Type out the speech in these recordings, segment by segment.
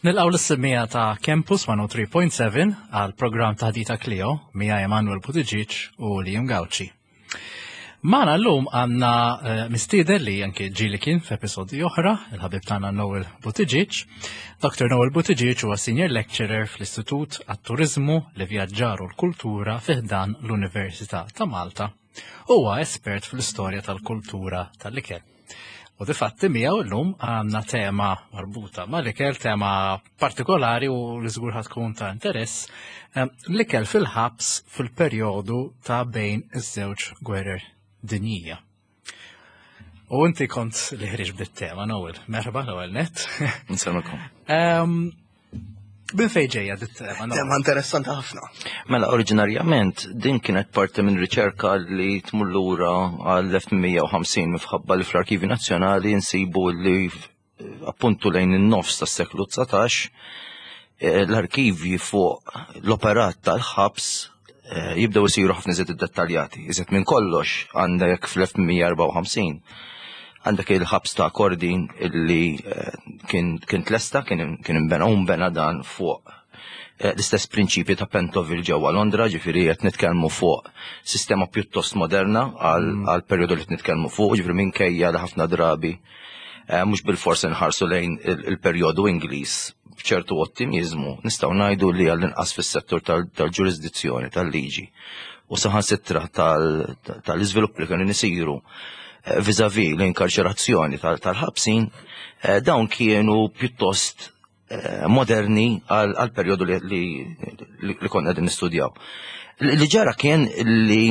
Nilqgħu lis-semmiegħa ta' Campus 103.7 għal programm Taħdita Clio miegħi Emanuel Buttigieg u Liam Gauci. Magħna llum għandna eh, mistieden li anke ġieli kien f'episodji oħra, il-ħabib tagħna Noel Buttigieg. Dr. Noel Buttigieg huwa senior lecturer fl-Istitut għat-Turiżmu, l-Ivvjaġġar u l-Kultura fi ħdan l-Università ta' Malta. Huwa espert fl-istorja tal-kultura tal-ikel. U difatti miegħu llum għandna tema marbuta mal-ikel, tema partikolari u li żgur tkun ta' interess, ehm, l-ikel fil-ħabs fil-perjodu ta' bejn iż-żewġ gwerer dinjija. U inti kont li ħriġ bit-tema, Noel. Merħba, Noel net. Nsemmikom. Ehm, Minn fejn ġejja dit-tema? Tema interessanti ħafna. Mela, oriġinarjament din kienet parti minn riċerka li tmur lura għal-1850 mifħabba li fl-Arkivi Nazzjonali nsibu li appuntu lejn in-nofs tas-seklu 19 eh, l-arkivji fuq l-operat tal-ħabs eh, jibdew isiru ħafna iżjed iddettaljati. Iżjed minn kollox għandek fl-1854 għandek il-ħabs ta' Kordin illi eh, kien kien tlesta, kien kien imbena u mbena dan fuq eh, l-istess prinċipji ta' Pentonville ġewwa Londra, ġifieri qed nitkellmu fuq sistema pjuttost moderna għal mm. perjodu li qed nitkellmu fuq, ġifieri minkejja li ħafna drabi eh, mhux bil-fors inħarsu lejn il-perjodu Ingliż b'ċertu ottimiżmu, nistgħu ngħidu li għall-inqas fis-settur tal-ġurisdizzjoni tal-liġi u saħansitra tal-iżvilupp li kienu nisiru eh, vizavi l-inkarċerazzjoni tal-ħabsin, eh, dawn kienu pjuttost eh, moderni għal periodu li konna din nistudjaw. Li ġara kien li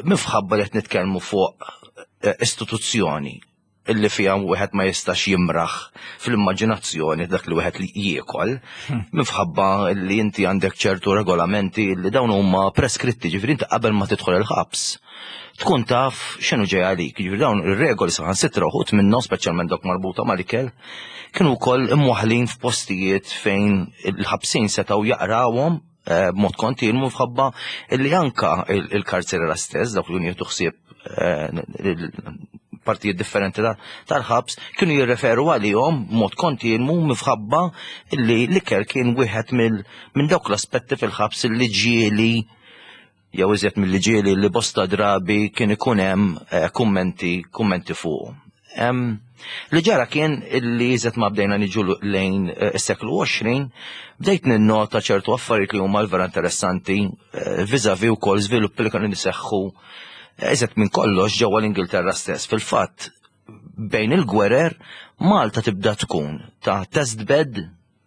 mifħabba li qed nitkellmu fuq istituzzjoni illi fiha wieħed ma jistax jimraħ fl-immaġinazzjoni dak li wieħed li jiekol, hmm. minħabba li inti għandek ċertu regolamenti li dawn huma preskritti, ġifieri inti qabel ma tidħol il-ħabs tkun taf x'inhu ġej għalik. Ġifieri dawn ir-regoli saħansitra uħud minnhom speċjalment dawk marbuta mal-ikel, kienu wkoll imwaħlin f'postijiet fejn il-ħabsin setgħu jaqrawhom eh, b'mod kontinwu fħabba li anka il-karċerera stess, dawk li jieħdu ħsieb eh, partijiet differenti tal-ħabs kienu jirreferu għalihom b'mod kontinwu mifħabba li l-ikel kien wieħed minn dawk l-aspetti fil-ħabs li ġieli jew iżjed milli ġieli li bosta drabi kien ikun hemm eh, kummenti kummenti fuq. Li ġara kien li iżjed ma bdejna niġu lejn eh, is-seklu 20, bdejt ninnota ċertu affarijiet li huma l-vera interessanti eh, viżavi wkoll żviluppi li kienu niseħħu iżjed minn kollox ġewwa l-Ingilterra stess. Fil-fatt, bejn il-gwerer Malta tibda tkun ta' test bed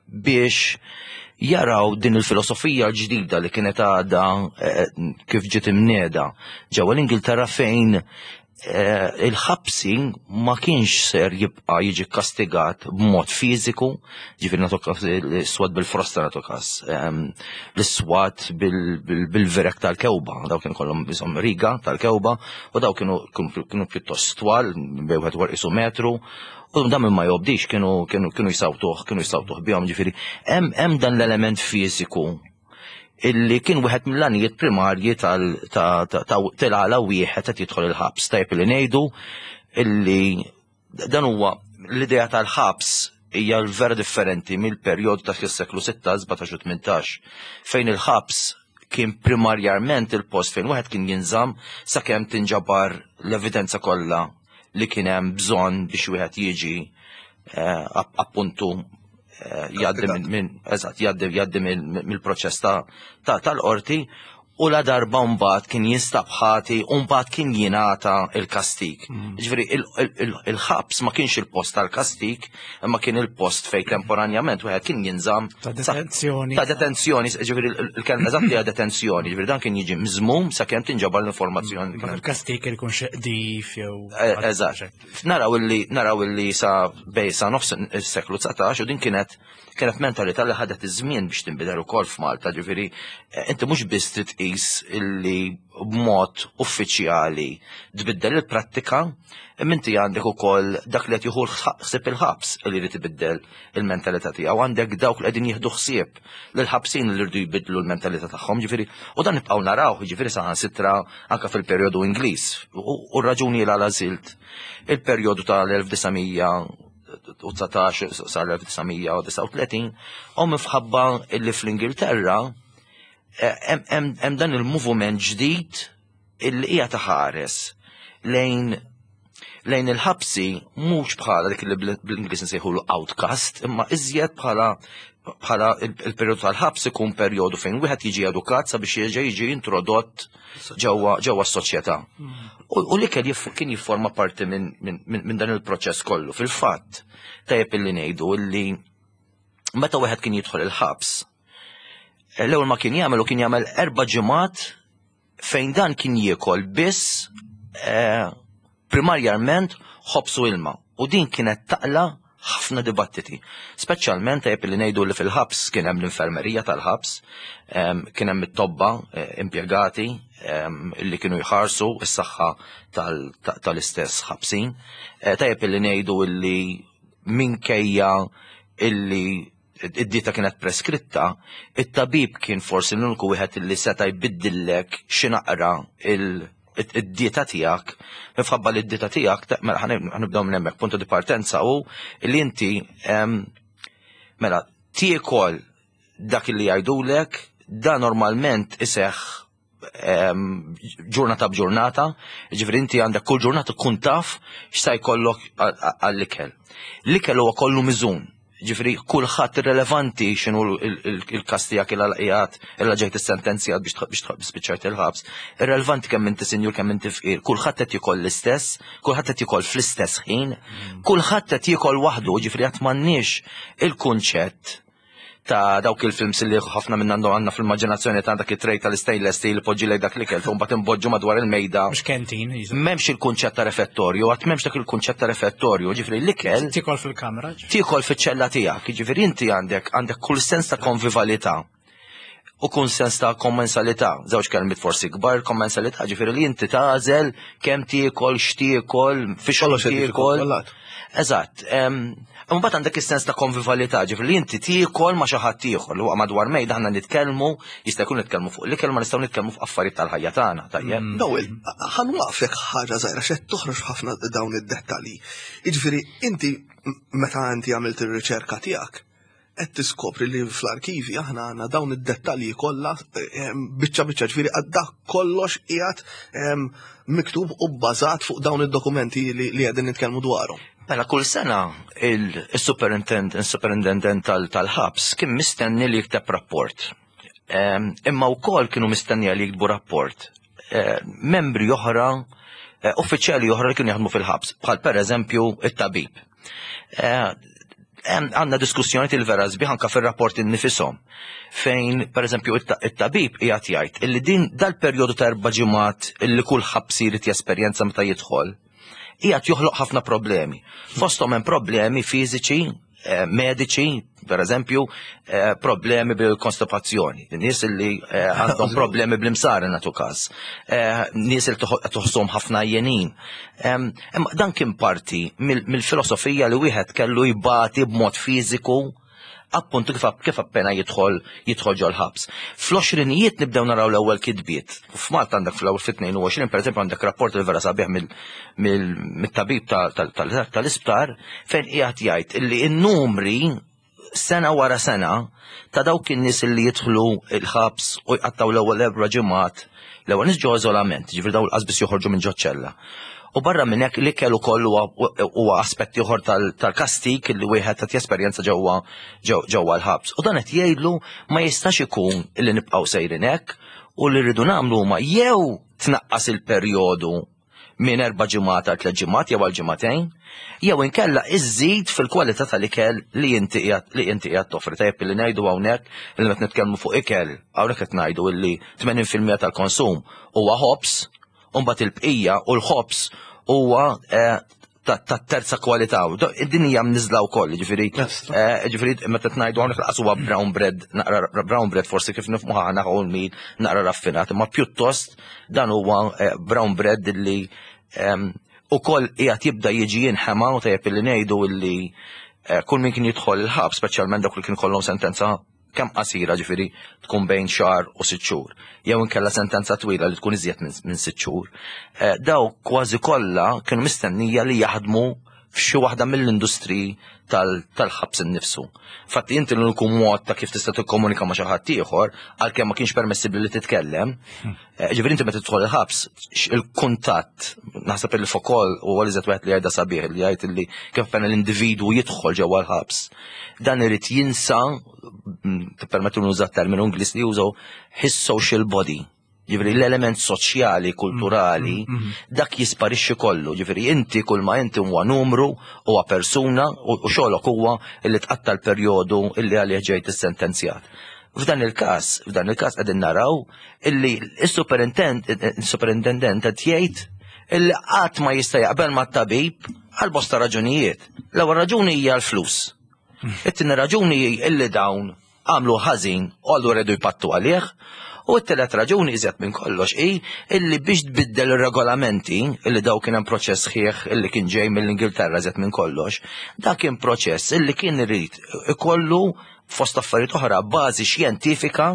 biex jaraw din il-filosofija l-ġdida li kienet għadha eh, kif ġiet imnieda ġewwa l-Ingilterra fejn eh, il-ħabsi ma kienx ser jibqa' jiġi kastigat b'mod fiżiku, ġifieri nagħtu każ l-iswad bil-frosta nagħtu każ, ehm, l-iswad bil-virek tal-kewba, daw kienu kollhom bżonn riga tal-kewba u daw kienu kienu pjuttost twal, bejn wieħed isu metru, U dan min ma jobdix kienu kienu kienu jsawtuh, kienu jsawtuh bihom ġifieri. Hemm hemm dan l-element fiżiku illi kien wieħed mill-għanijiet primarji tal ta' tal-għala wieħed qed jidħol il-ħabs. Tajjeb li ngħidu illi dan huwa l-idea tal-ħabs hija vera differenti mill-perjodu ta' seklu 16, 17 u 18 fejn il-ħabs kien primarjarment il-post fejn wieħed kien jinżamm sakemm tinġabar l-evidenza kollha li kien hemm bżonn biex wieħed jiġi eh, appuntu eh, jgħaddi minn eżatt jgħaddi jgħaddi mill-proċess tal-qorti u la darba mbagħad kien jinstab ħati u mbagħad kien jingħata il-kastik. Mm. Ġifieri il-ħabs ma kienx il-post tal-kastik, imma kien il-post fejn temporanjament wieħed kien jinżamm ta' detenzjoni. Ta' detenzjoni, ġifieri il-kelma eżatt hija detenzjoni, ġifieri dan kien jiġi miżmum sakemm tinġabar l-informazzjoni. Mm, il-kastik kien ikun xi qdif jew. Eh, eżatt. Naraw illi naraw illi sa bej sa nofs is-seklu 19 u din kienet kienet mentalità li ħadet iż-żmien biex tinbidel ukoll f'Malta, ġifieri eh, inti mhux biss trid tqis illi b'mod uffiċjali tbiddel il-prattika, imma inti għandek ukoll dak li qed jieħu ħsieb il-ħabs li jrid ibiddel il-mentalità tiegħu, għandek dawk li qegħdin jieħdu ħsieb lill-ħabsin li rridu jbiddlu l-mentalità tagħhom, ġifieri, u dan nibqgħu narawh, ġifieri saħansitra anke fil-perjodu Ingliż. U r-raġuni l għażilt il-perjodu tal-1900 1919 sal-1939 u minħabba illi fl-Ingilterra eh, hemm dan il-movement ġdid illi hija taħares lejn lejn il-ħabsi mhux bħala dik li bl-Ingliż nsejħulu outcast, imma iżjed bħala bħala il-perjodu tal-ħabs ikun perjodu fejn wieħed jiġi edukat sabiex jerġa' jiġi introdott ġewwa ġewwa s-soċjetà. U l-ikel kien jifforma parti minn dan il-proċess kollu. Fil-fatt, tajjeb illi ngħidu illi meta wieħed kien jidħol il-ħabs, l-ewwel ma kien jagħmel u kien jagħmel erba' ġimgħat fejn dan kien jiekol biss eh, primarjament ħobs u ilma. U din kienet taqla ħafna dibattiti. Speċjalment tajjeb li ngħidu li fil-ħabs kien hemm l-infermerija tal-ħabs, kien hemm it-tobba eh, impjegati li kienu jħarsu s-saħħa tal-istess ħabsin. Eh, tajjeb li ngħidu li minkejja illi id-dieta kienet preskritta, it-tabib kien forsi l-uniku wieħed li seta' jbiddillek xi naqra id-dieta tiegħek, minħabba li d-dieta tiegħek, mela ħanibdew minn hemmhekk, punto di partenza hu li inti mela tiekol dak li jgħidulek, da normalment iseħħ ġurnata b'ġurnata, ġifri inti għandek kull ġurnata tkun taf x'sa jkollok għall-ikel. L-ikel huwa kollu miżun, ġifri kulħadd irrelevanti x'inhu il-każ tiegħek il qiegħed illa ġejt is-sentenzjat biex spiċċajt il-ħabs, irrelevanti kemm inti sinjur kemm inti fqir, kulħadd qed jiekol l-istess, kulħadd qed jiekol fl-istess ħin, kulħadd qed jiekol waħdu, ġifri qatt m'għandniex il-kunċett ta' dawk il-films li ħafna minn għandu għandna fl-immaġinazzjoni ta' dak it-trej tal-stainless steel poġġi lej dak l-ikel, u mbagħad imboġġu madwar il-mejda. Mhux kentin. M'hemmx il-kunċett ta' refettorju, għad m'hemmx dak il-kunċett ta' refettorju, ġifieri l-ikel. Tikol fil-kamra. Tikol fiċ-ċella tiegħek, ġifieri inti għandek għandek kull sens ta' konvivalità u kull sens ta' kommensalità. Żewġ kelmiet forsi kbar, kommensalità, ġifieri li inti tagħżel kemm tiekol, x'tiekol, fiex tiekol. Eżatt. Mbagħad għandek is-sens ta' konvivalità, ġifieri li inti tiekol ma' xi ħadd ieħor li huwa madwar mejda aħna nitkellmu, jista' jkun nitkellmu fuq l-ikel ma nistgħu nitkellmu fuq affarijiet tal-ħajja tagħna, tajjeb. Mm. Noel, ħanwaqfek ħaġa żgħira x'qed toħroġ ħafna dawn id-dettalji. Jiġifieri inti meta inti għamilt ir-riċerka tiegħek, qed tiskopri li fl-arkivi aħna għandna dawn id-dettalji kollha eh, biċċa biċċa ġifieri għadda kollox qiegħed ehm, miktub u bbażat fuq dawn id-dokumenti li qegħdin nitkellmu dwarhom. Mela kull sena il-superintendent tal-ħabs kien mistenni li jikteb rapport. Ehm, imma wkoll kienu mistennija li jiktbu rapport eh, membri oħra, eh, uffiċjali oħra li kienu jaħdmu fil-ħabs, bħal per eżempju it-tabib. Eh, għandna diskussjoni il-vera sbieħ anka fir-rapport innifisom fejn per eżempju it-tabib qiegħed jgħid illi din dal-perjodu ta' erba' ġimgħat illi kull ħabs irid jesperjenza meta jidħol qiegħed joħloq ħafna problemi. Fosthom hemm problemi fiżiċi, eh, mediċi, per eżempju, eh, problemi bil-konstipazzjoni, nies li eh, għandhom problemi bl-imsar natu każ, nies li toħsom ħafna jenin. Imma dan kien parti mill-filosofija li wieħed kellu jbati b'mod fiżiku appuntu kif kif appena jidħol jidħol ġol-ħabs. Fl-għoxrinijiet nibdew naraw l-ewwel kitbiet. F'Malta għandek fl-ewwel fit-22 pereżempju għandek rapport li vera sabiħ mill-tabib tal-isptar fejn qiegħed jgħid illi n-numri sena wara sena ta' dawk in-nies li jidħlu il-ħabs u jqattaw l-ewwel erba' ġimgħat l-ewwel nies ġo iżolament, ġifieri dawn l-qasbis joħorġu minn ġoċ-ċella. U barra minn hekk l-ikel ukoll huwa aspett ieħor tal-kastig li wieħed qed jesperjenza ġewwa ġewwa l-ħabs. U dan qed jgħidlu ma jistax ikun li nibqgħu sejrin hekk u li rridu nagħmlu huma jew tnaqqas il-perjodu minn erba' ġimgħat għal tliet ġimgħat jew għal ġimagħtejn, jew inkella iżżid fil-kwalità tal-ikel li inti qiegħed li inti qiegħed toffri. Tajjeb li ngħidu hawnhekk li meta nitkellmu fuq ikel, hawnhekk qed ngħidu illi 80% tal-konsum huwa ħobż, u mbagħad il-bqija u l-ħobż huwa eh, ta' terza kwalità. Din hija mniżla wkoll, ġifieri eh, ġifieri meta tngħidu hawnhekk laqas huwa brown bread, naqra brown bread forsi kif nifhmu aħna whole meal naqra raffinat, imma pjuttost dan huwa eh, brown bread li ehm, ukoll qiegħed jibda jiġi jinħema u tajjeb li ngħidu illi eh, kull min kien jidħol il-ħabs, speċjalment dawk li kien kollhom sentenza kemm qasira ġifieri tkun bejn xahar u sitt xhur, jew inkella sentenza twila li tkun iżjed minn sitt xhur, eh, daw kważi kollha kienu mistennija li jaħdmu f'xi waħda mill-industriji tal-ħabs innifsu. Fatti inti l-uniku mod ta' kif tista' tikkomunika ma' xi ħadd ieħor, għalkemm ma kienx permessibbli li titkellem, hmm. eh, ġifieri inti meta tidħol il-ħabs, il-kuntatt, naħseb il fokol u għal wieħed li jgħidha sabiħ li jgħid li kif pena l-individwu jidħol ġewwa l-ħabs. Dan irid jinsa, mm, tippermettu nuża terminu Ingliż li jużaw his social body. Ġifieri l-element soċjali, kulturali, mm, mm, mm. dak jisparixxi kollu. Ġifieri inti kull ma inti huwa numru, huwa persuna u xogħlok huwa li tqatta l-perjodu illi għalih ġejt issentenzjat. F'dan il-każ, f'dan il-każ qegħdin naraw illi s-superintendent qed jgħid illi qatt ma jista' jaqbel mat-tabib għal bosta raġunijiet. L-ewwel raġuni hija l-flus. It-tieni raġuni hi illi dawn għamlu ħażin u allura jridu jpattu għalih. U t-telet raġuni iżjed minn kollox hi illi biex tbiddel ir-regolamenti illi daw kien hemm proċess sħiħ illi kien ġej mill-Ingilterra iżjed minn kollox, dak kien proċess illi kien irid ikollu fost affarijiet oħra bażi xjentifika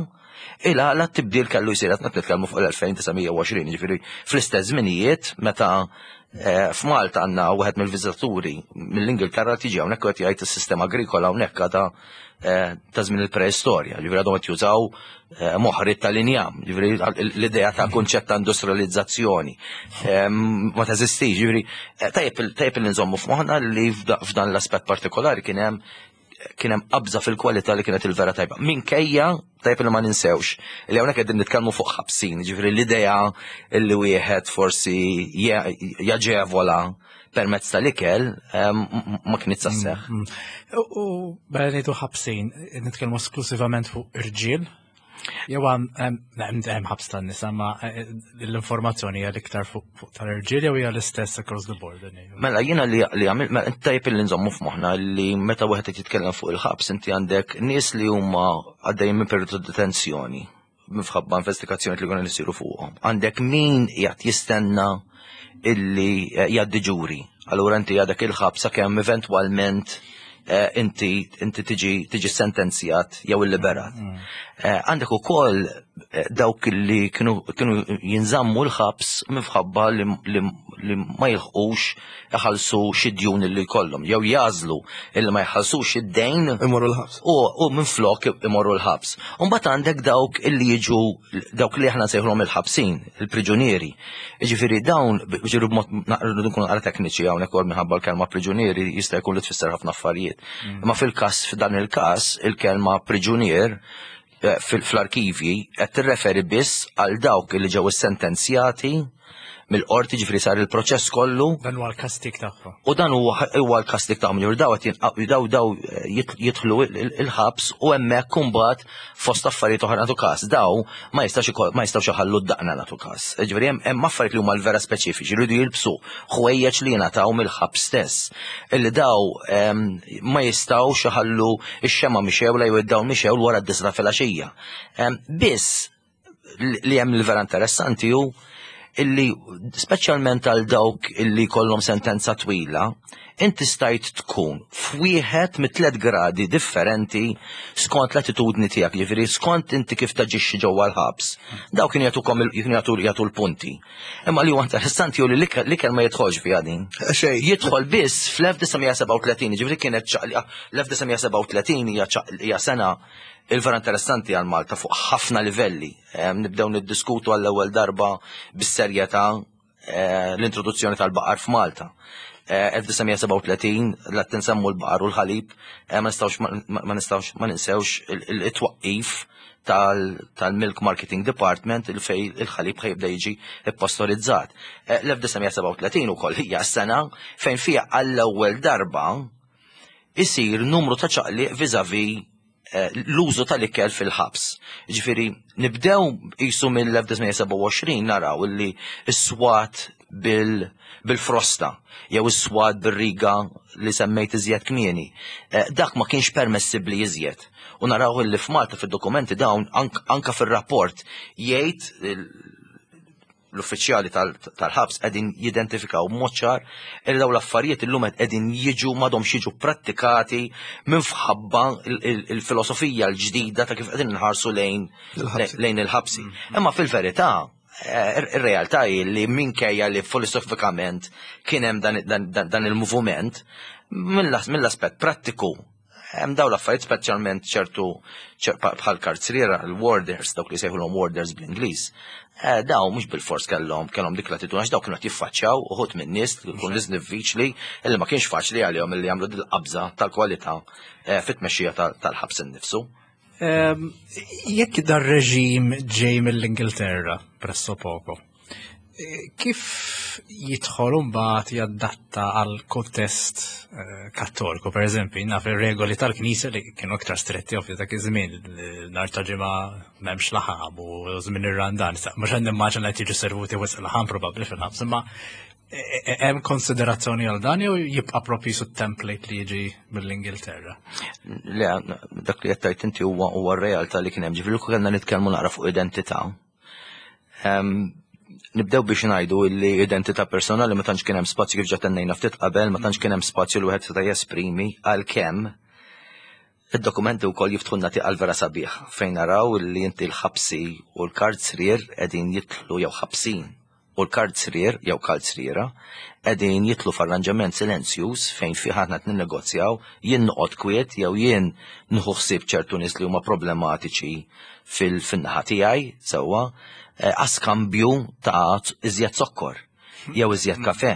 il għala t-tibdil kellu jsir qed nitkellmu fuq l-2920, ġifieri fl-istess żminijiet meta eh, f'Malta għandna wieħed mill-viżitaturi mill-Ingilterra tiġi hawnhekk qed jgħid is-sistema agrikola hawnhekk għadha eh, ta' żmien il-preistorja, ġifieri għadhom qed jużaw eh, moħrit tal-injam, ġifieri l-idea ta' kunċett ta' industrializzazzjoni ma teżistix, ġifieri tajjeb li nżommu f'moħħna li f'dan l-aspett partikolari kien hemm kien hemm qabża fil-kwalità li kienet il-vera tajba. Minkejja tajb li ma ninsewx li hawnhekk qegħdin nitkellmu fuq ħabsin, ġifieri l-idea li wieħed forsi jaġevola permezz tal-ikel ma kienet sasseħ. Mm, mm. U bħala ngħidu ħabsin, nitkellmu esklusivament fuq irġiel, Jew hemm ħabs tan-nisa ma eh, eh, l-informazzjoni hija l-iktar fuq tal-irġiel jew hija l-istess across the board. Mela jiena li li għamil mela tajjeb li nżommu f'moħħna li meta wieħed qed jitkellem fuq il-ħabs inti għandek nies li huma għaddejjin minn periodu ta' detenzjoni minħabba investigazzjoni li kienu jsiru fuqhom. Għandek min qiegħed jistenna illi eh, jgħaddi ġuri. Allura inti għadek il-ħabs sakemm eventwalment eh, inti inti tiġi tiġi sentenzjat jew illiberat. Mm. Eh, għandek ukoll eh, dawk li kienu kienu jinżammu l-ħabs minħabba li, li, li ma jilħqux iħallsu xi djun li jkollhom jew jażlu illi ma jħallsux id-dejn imorru l-ħabs. U, u minflok imorru l-ħabs. Mbagħad għandek dawk illi jiġu dawk li aħna nsejħulhom il-ħabsin, il-priġunieri. Jiġifieri dawn, ġiru b'mod naqra nkunu naqra tekniċi hawnhekk ukoll minħabba l-kelma priġunieri jista' jkun li tfisser ħafna affarijiet. Mm. Imma fil-każ f'dan il-każ il-kelma priġunier eh, fl-arkivji qed tirreferi biss għal dawk li ġew issentenzjati mill-qorti ġifri sar il-proċess kollu. Dan huwa l-kastik tagħhom. U dan huwa l-kastik tagħhom, ġifri daw qed daw daw eh, jidħlu il-ħabs u hemmhekk imbagħad fost affarijiet oħra nagħtu każ. Daw ma jistax ma jistgħux iħallu d-daqna nagħtu każ. Ġifieri hemm affarijiet li huma l-vera speċifiċi, jridu jilbsu ħwejjeġ li jingħataw mill-ħabs stess. Illi daw ehm, ma jistgħux iħallu x-xema mixewla jew id-dawl mixewl wara d-disra filgħaxija. Ehm, biss li hemm il-vera interessanti hu illi speċjalment għal dawk illi kollhom sentenza twila, inti stajt tkun f'wieħed mit tliet gradi differenti skont l-attitudni tiegħek, jiġifieri skont inti kif taġixxi ġewwa l-ħabs. Dawk kienu jagħtukom kienu jagħtu jagħtu l-punti. Imma li huwa interessanti hu li l-ikel ma jidħolx fiha din. Xejn. Jidħol biss fl-1937, jiġifieri kienet ċaqliqa l-1937 hija hija sena il-vera interessanti għal Malta fuq ħafna livelli. Nibdew niddiskutu għall-ewwel darba bis-serjetà eh, l-introduzzjoni tal-baqar f'Malta. 1937 eh, la tinsemmu l-baqar u l-ħalib, eh, ma nistgħux ma nistgħux ma ninsewx il-twaqqif tal-Milk Marketing Department il fej il-ħalib ħajibda jiġi ippostorizzat. L-1937 ukoll hija s-sena fejn fiha għall-ewwel darba isir numru ta' ċaqliq viżavi eh, l-użu tal-ikel fil-ħabs. Ġifieri, nibdew qisu mill-1927 naraw illi s-swat bil-frosta jew is-swat bir-riga li semmejt iżjed kmieni. Eh, dak ma kienx permessibbli iżjed. U naraw illi f'Malta fid-dokumenti dawn anka fir-rapport jgħid l-uffiċjali tal-ħabs qegħdin jidentifikaw b'mod ċar li dawn l-affarijiet illum qegħdin jiġu m'għadhomx jiġu prattikati minħabba il-filosofija l-ġdida ta' kif qegħdin nħarsu lejn lejn il-ħabsi. Mm. Imma fil-verità Ir-realtà hi li minkejja li filosofikament kien hemm dan il-moviment, mill-aspett prattiku hemm dawn l-affarijiet speċjalment ċertu bħal karzriera, l-warders, dawk li sejħulhom warders bl-Ingliż, eh, daw mhux bil-fors kellhom kellhom dik l-attitudni għax dawk kienu qed jiffaċċjaw uħud minn nies li jkun nies diffiċli illi ma kienx faċli għalihom illi jagħmlu dil-qabża tal-kwalità eh, fit-tmexxija tal-ħabs innifsu. Jekk dar reġim ġej mill-Ingilterra, presso poco, eh, kif jidħol mbagħad jaddatta għal kontest eh, kattoliku, per eżempju, naf ir-regoli tal-Knisja li kienu aktar stretti ovvju dak iż-żmien, nhar ta' ġimgħa m'hemmx laħam u żmien ir-Randan, mhux qed nimmaġina qed jiġu servuti wisq laħam probabbli fil-ħabs, imma Hemm konsiderazzjoni għal dan jew jibqa' propju su template li jiġi mill-Ingilterra? Le, dak li qed tgħid inti huwa huwa r-realtà li kien hemm. Ġifieri kellna nitkellmu naqra fuq identità. Nibdew biex ngħidu li identità personali ma tantx kien hemm spazju kif ġa tennejna ftit qabel, ma tantx kien hemm spazju li wieħed seta' jesprimi għalkemm Id-dokumenti wkoll jiftħulna tieqa vera sabiħ fejn naraw li inti l-ħabsi u l-karzrier qegħdin jidħlu jew ħabsin u l-karzrier jew kalzriera qegħdin jidħlu f'arranġament silenzjuż fejn fih aħna qed ninnegozjaw jien noqgħod kwiet jew jien nieħu ħsieb ċertu nies li huma problematiċi fil-naħa tiegħi sewwa eh, għaskambju ta' iżjed zokkor jew iżjed kafe.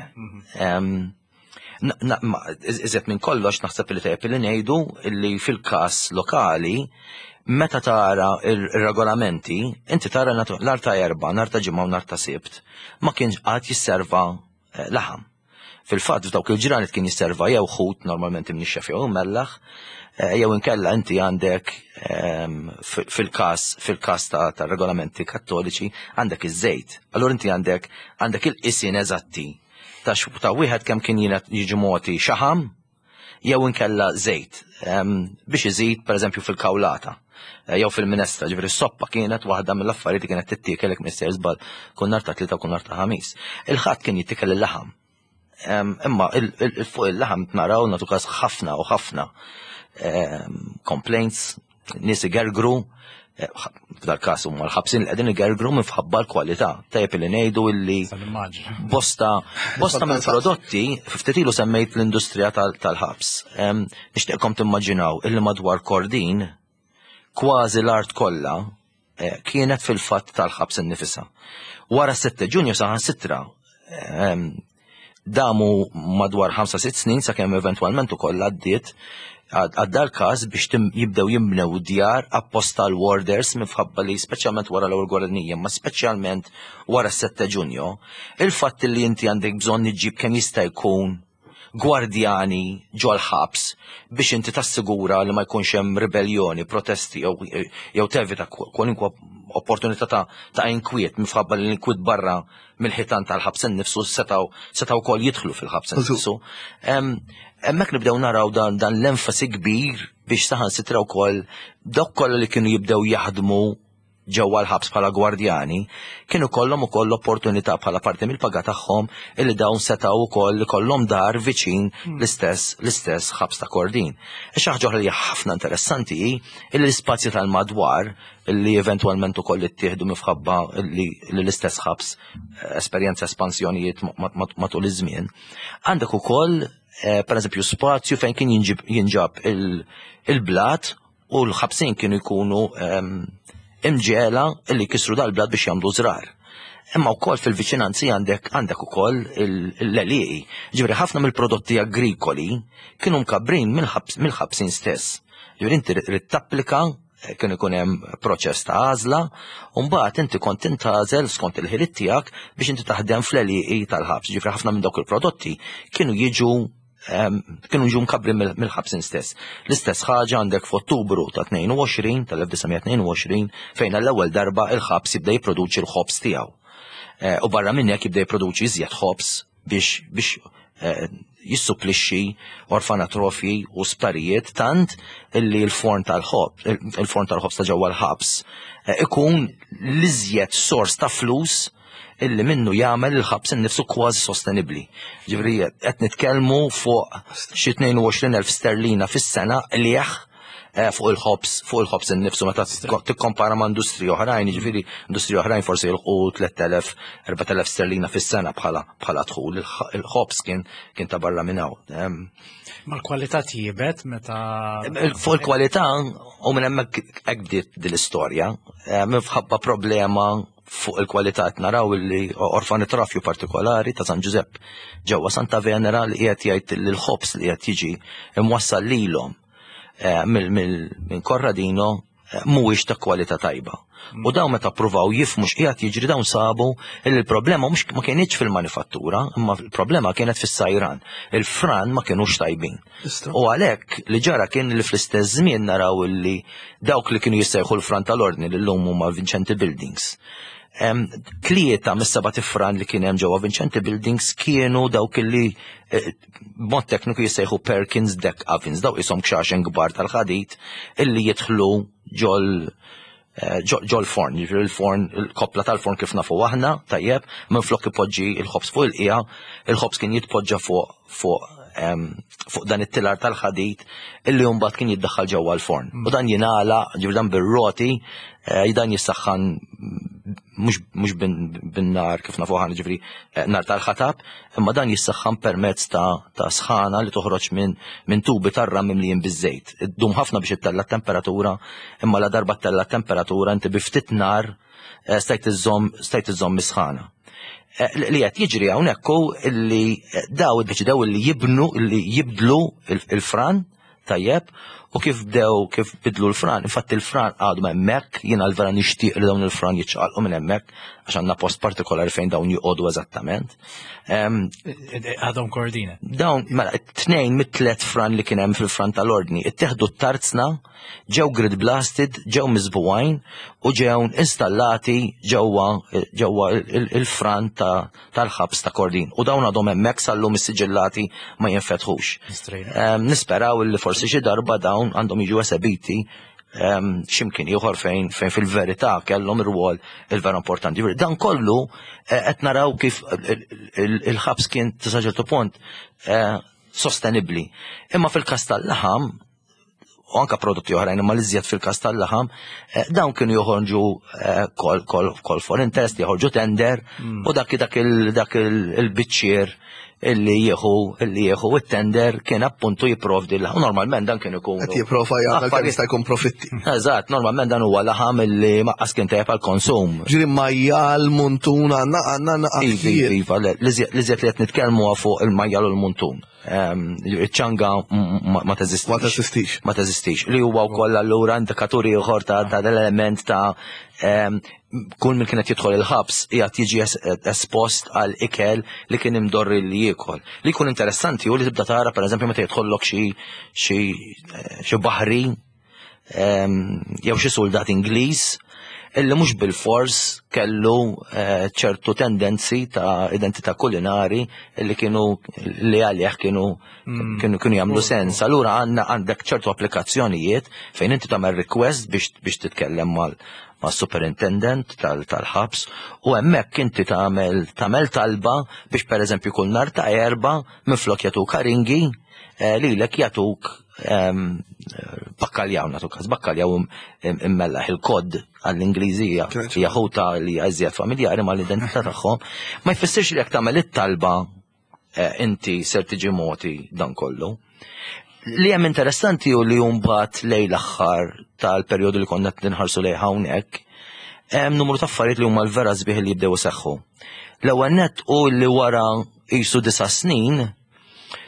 Iżjed minn kollox naħseb li tajjeb li ngħidu li fil-każ lokali meta tara ir-regolamenti, inti tara nhar ta' Erbgħa, nhar ta' Ġimgħa u nhar ta' Sibt ma kienx qatt jisserva eh, laħam. Fil-fatt f'dawk il-ġranet kien jisserva jew ħut normalment imnixxef jew immellaħ, eh, jew inkella inti għandek ehm, fil-każ fil-każ ta' regolamenti kattoliċi għandek iż-żejt. Allura inti għandek għandek il-qisien eżatti ta' ta' wieħed kemm kien jiġi mogħti xaħam jew inkella żejt biex iżid pereżempju fil-kawlata eh, jew fil-minestra, ġifieri s-soppa kienet waħda mill-affarijiet li kienet tittiekel jekk mister żball kull nhar ta' tlieta u kull nhar ta' ħamis. Il-ħadd kien jittikel il-laħam. Imma fuq il-laħam naraw nagħtu każ ħafna u ħafna complaints nies igergru, eh, f'dal każ huma l-ħabsin li qegħdin igergru minħabba l-kwalità. Tajjeb li ngħidu illi bosta bosta mill-prodotti, ftit ilu semmejt l-industrija tal-ħabs. Nixtieqkom timmaġinaw illi madwar Kordin kważi l-art kollha eh, kienet fil-fatt tal-ħabs innifisha. Wara 6 Ġunju saħansitra damu madwar 5-6 snin sakemm eventwalment ukoll għaddiet għadda l-każ biex jibdew jimbnew djar apposta l-warders minħabba li speċjalment wara l-ewwel gwerra dinjija, ma speċjalment wara s-7 Ġunju, il-fatt li inti għandek bżonn iġġib kemm jista' jkun gwardjani ġol-ħabs biex inti tassigura li ma jkunx hemm ribelljoni, protesti jew tevita kwalunkwe opportunità ta', ta inkwiet minħabba li l-inkwiet barra mill-ħitan tal-ħabs innifsu setgħu setgħu wkoll jidħlu fil-ħabs innifsu. Hemmhekk nibdew naraw dan, dan l-enfasi kbir biex saħansitra wkoll dawk kollha li kienu jibdew jaħdmu ġewwa l-ħabs bħala gwardjani, kienu kollhom ukoll l-opportunità bħala parti mill-paga tagħhom illi dawn setgħu wkoll ikollhom dar viċin hmm. l-istess l-istess ħabs ta' Kordin. Xi ħaġa oħra li ħafna interessanti hi illi l-ispazji tal-madwar li eventwalment ukoll ittieħdu mifħabba li l-istess ħabs eh, esperjenza espansjonijiet matul iż-żmien. Għandek ukoll eh, pereżempju spazju fejn kien jinġab il-blat u l-ħabsin kienu jkunu ehm, imġela li kisru dal-blat biex jagħmlu żrar. Imma wkoll fil-viċinanzi għandek għandek ukoll l-għelieqi. Ġifieri ħafna mill-prodotti agrikoli kienu mkabbrin mill-ħabsin stess. Ġifieri inti trid tapplika eh, kien ikun hemm proċess ta' għażla, u mbagħad inti kont tintgħażel skont il-ħiliet tiegħek biex inti taħdem fl-għelieqi tal-ħabs. Ġifieri ħafna minn dawk il-prodotti kienu jiġu kienu ġu mkabbri mill-ħabsin stess. L-istess ħaġa għandek f'Ottubru ta' 22 tal-1922 fejn għall-ewwel darba il-ħabs jibda jipproduċi l-ħobż tiegħu. Eh, u barra minn hekk jibda jipproduċi iżjed ħobż biex biex eh, jissupplixxi orfanatrofji u sptarijiet tant illi l-forn tal-ħobż il-forn tal-ħobż ta' ġewwa l-ħabs eh, ikun l-iżjed sors ta' flus illi minnu jagħmel il-ħabs innifsu kważi sostenibbli. Ġifieri qed nitkellmu fuq xi 22,000 sterlina fis-sena qligħ fuq il-ħobs, fuq il-ħobs innifsu meta tikkompara ma' industriji oħrajn, jiġifieri industriji oħrajn forsi jilħqu 3000, 4000 sterlina fis-sena bħala bħala dħul, il-ħobs kien kien ta' barra minn hawn. Ma l-kwalità tjiebet meta. Fuq il-kwalità u minn hemmhekk hekk bdiet din l-istorja, minħabba problema fuq il-kwalità qed naraw li orfanitrofju partikolari ta' San Ġużepp ġewwa Santa Venera li qiegħed jgħid li l-ħobs li qed jiġi imwassal lilhom eh, minn Corradino eh, mhuwiex ta' kwalità tajba. U dawn meta ppruvaw jifhmu x'qiegħed jiġri dawn sabu li l-problema mhux ma kienitx fil-manifattura, imma l-problema kienet fis-sajran. Il-fran ma kinux tajbin. U għalhekk li ġara kien li fl-istess żmien naraw li dawk li kienu jissejħu l-fran tal-ordni li llum huma Vincenti Buildings. Tlieta mis-seba' tifran li kien hemm ġewwa Vincenti Buildings kienu dawk li eh, b'mod tekniku jissejħu Perkins Deck Ovens, daw ishom kxaxen kbar tal-ħadid illi jidħlu ġol eh, ġol forn, jiġifieri il-forn, il-koppla tal-forn kif nafu aħna, tajjeb, minn flok ipoġġi il-ħobż fuq il-qija, il-ħobż kien jitpoġġa fuq fuq fuq dan it-tilar tal-ħadid illi mbagħad kien jiddaħħal ġewwa l-forn. U dan jingħala, ġifieri dan bir-roti, eh, dan jissaħħan mhux bin-nar kif nafu aħna ġifieri eh, nar tal-ħatab, imma dan jissaħħan permezz ta', ta sħana li toħroġ minn min tubi tar-ram mimlijin biż-żejt. Iddum ħafna biex ittella temperatura, imma la darba ttella temperatura inti bi ftit nar eh, stajt iżżomm stajt iżżomm is-sħana. Eh, li qed jiġri hawnhekk hu li daw iddeċidew li jibnu li jibdlu il-fran tajjeb u kif bdew kif bidlu l-fran, infatti l-fran għadu hemmhekk, jiena l-vera nixtieq li dawn il-fran jiċċaqalqu minn hemmhekk għax għandna post partikolari fejn dawn joqogħdu eżattament. Għadhom kordina. Dawn, mela, tnejn mit-tlet fran li kien hemm fil-fran tal-ordni, ittieħdu t-tarzna ġew grid blasted, ġew miżbugħin u ġew installati ġewwa ġewwa il-fran tal-ħabs ta' Kordin. U dawn għadhom hemmhekk sal-lum is-siġillati ma jinfetħux. Nisperaw li forsi xi darba dawn għandhom jiġu esebiti x'imkien ieħor fejn fejn fil-verità kellhom irwol il-vera importanti. Dan kollu eh, qed naraw kif il-ħabs kien sa ċertu punt eh, sostenibbli. Imma fil-każ tal-laħam u anka prodotti oħrajn imma l-iżjed fil-każ tal-laħam, eh, dawn kienu joħorġu eh, kol, kol, kol for interest, joħorġu tender mm. u dak dak dak il-biċċier illi jieħu illi jieħu it-tender kien appuntu jipprovdi l Normalment dan kien ikun. Qed jipprova jagħmel kemm jista' jkun profitti. Eżatt, normalment dan huwa laħam illi maqqas kien tajjeb għall-konsum. Ġieli majjal, muntun, għandna għandna Iva, iva, l-iżjed li qed nitkellmu fuq il-majjal u l-muntun. Iċ-ċanga ma teżistix. Ma teżistix. Ma teżistix. Li huwa wkoll allura indikatur ieħor ta' l-element ta' kull min kienet jidħol il-ħabs qiegħed jiġi espost għal ikel li kien imdorri li jiekol. Li jkun interessanti hu li tibda tara pereżempju meta jidħollok xi xi baħri jew xi soldat Ingliż illi mhux bil-fors kellu eh, ċertu tendenzi ta' identità kulinari illi kienu li għalih kienu mm. kienu kienu jagħmlu sens. Allura għandna għandek ċertu applikazzjonijiet fejn inti tagħmel request biex biex titkellem mal ma' superintendent tal-ħabs u hemmhekk inti tagħmel tagħmel talba biex pereżempju kull nhar ta' erba' minflok jagħtuk aringi eh, lilek jagħtuk bakkaljaw nagħtu każ, bakkaljaw immellaħ il-kod għall-Ingliżija hija ħuta li hija iżjed familjari mal-identità tagħhom, ma jfissirx li jekk tagħmel it-talba eh, inti ser tiġi moti dan kollu. Li hemm interessanti u li mbagħad lejn l-aħħar tal-perjodu li konna qed ninħarsu lejn hawnhekk, hemm numru ta' affarijiet li huma l-vera sbieħ li jibdew iseħħu. L-ewwel nett u li wara qisu disa' snin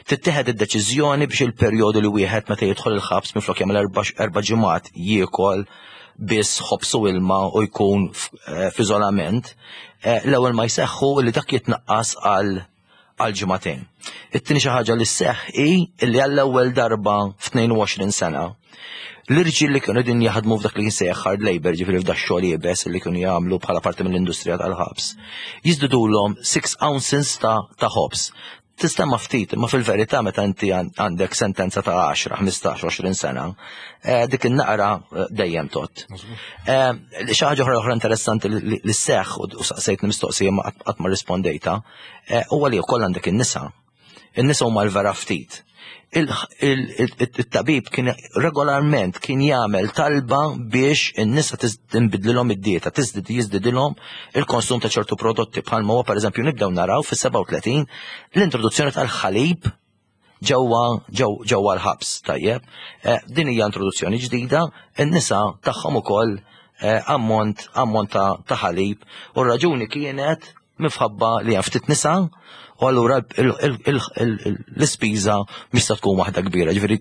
Tittieħed id-deċiżjoni biex il-perjodu li wieħed meta jidħol il-ħabs minflok jagħmel erba' ġimgħat jiekol biss ħobż u ilma u jkun eh, f'iżolament, eh, l-ewwel ma jseħħu li dak jitnaqqas għal għal ġimagħtejn. It-tieni xi ħaġa li sseħħ hi li għall-ewwel darba f'22 sena l-irġiel li kienu din jaħdmu f'dak li jinsejjaħ hard labor, ġifieri f'dak xogħol iebes li kienu jagħmlu bħala parti mill-industrija tal-ħabs, jiżdidulhom 6 ounces ta' ta' ħobż. Tistemma ftit, imma fil-verità meta inti għandek sentenza ta' 10, 15, 20 sena, eh, dik in-naqra eh, dejjem tot. Eh, xi ħaġa oħra oħra interessanti li seħħ u saqsejt mistoqsija ma qatt ma rispondejta, huwa li wkoll għandek in-nisa. In-nisa huma l-vera ftit. Il-tabib kien regolarment kien jagħmel talba biex in-nisa tinbidlilhom id-dieta, tiżdid jiżdidilhom il-konsum ta' ċertu prodotti bħalma huwa pereżempju nibdew naraw fis-37 l-introduzzjoni tal-ħalib ġewwa ġewwa l-ħabs, tajjeb. Eh, din hija introduzzjoni ġdida, in-nisa tagħhom ukoll eh, ammont ammont ta' ħalib u r-raġuni kienet minħabba li hemm ftit nisa u allura l-ispiża mhix se tkun waħda kbira, ġifieri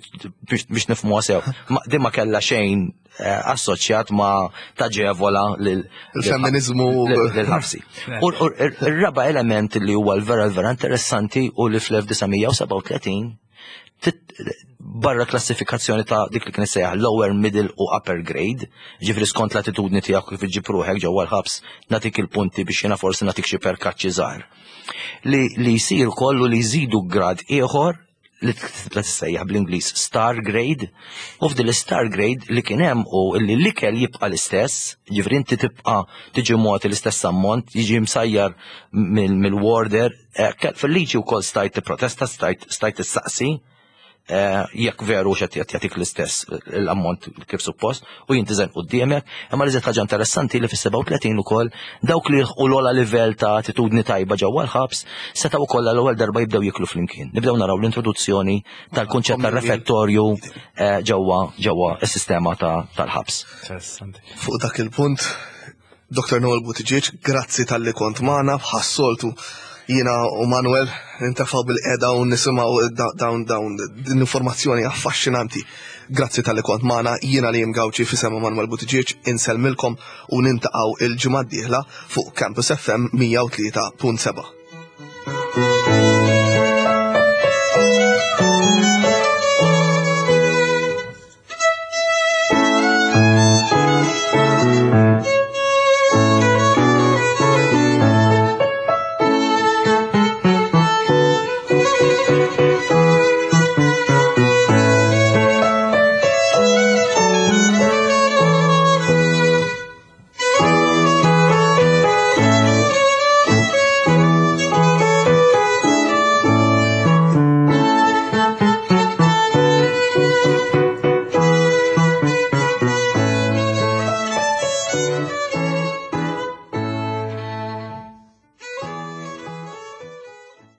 biex nifhmuha sew. Din ma kellha xejn eh, assoċjat ma taġevola lil-femminizmu lil-ħabsi. U r-raba element li huwa l-vera l-vera interessanti u li fl-1937 barra klassifikazzjoni ta' dik li kien sejjaħ lower, middle u upper grade, ġifri skont l-attitudni tiegħek kif iġġib ruħek ġewwa l-ħabs nagħtik il-punti biex jiena forsi nagħtik xi perkaċċi żgħar. Li, li jsir kollu li jżidu grad ieħor li tibda tissejjaħ bl-Ingliż star grade, u f'din l-star grade li kien hemm u li l-ikel jibqa' l-istess, ġifri inti tibqa' tiġi mogħti l-istess ammont, jiġi msajjar mill-warder, eh, fil-liġi wkoll stajt tipprotesta, stajt stajt issaqsi, Eh, jekk veru xed jagħtik l-istess l-ammont kif suppost u jintiżen quddiemek, imma li ħaġa interessanti li fis-37 ukoll dawk li jilħqu l-ogħla livell ta' attitudni tajba ġewwa l-ħabs setgħu wkoll għall-ewwel darba jibdew jiklu flimkien. Nibdew naraw l-introduzzjoni tal-kunċett tar-refettorju eh, ġewwa ġewwa s-sistema tal-ħabs. Fuq dak il-punt Dr. Noel Buttigieg, grazzi talli kont magħna bħas-soltu jiena u Manuel nintefgħu bil-qeda u nisimgħu dawn dawn din informazzjoni affaxxinanti. Grazzi talli kont magħna, jiena li Gawċi f'isem Manuel Buttigieg insellmilkom u nintaqgħu il-ġimgħa d-dieħla fuq Campus FM 103.7.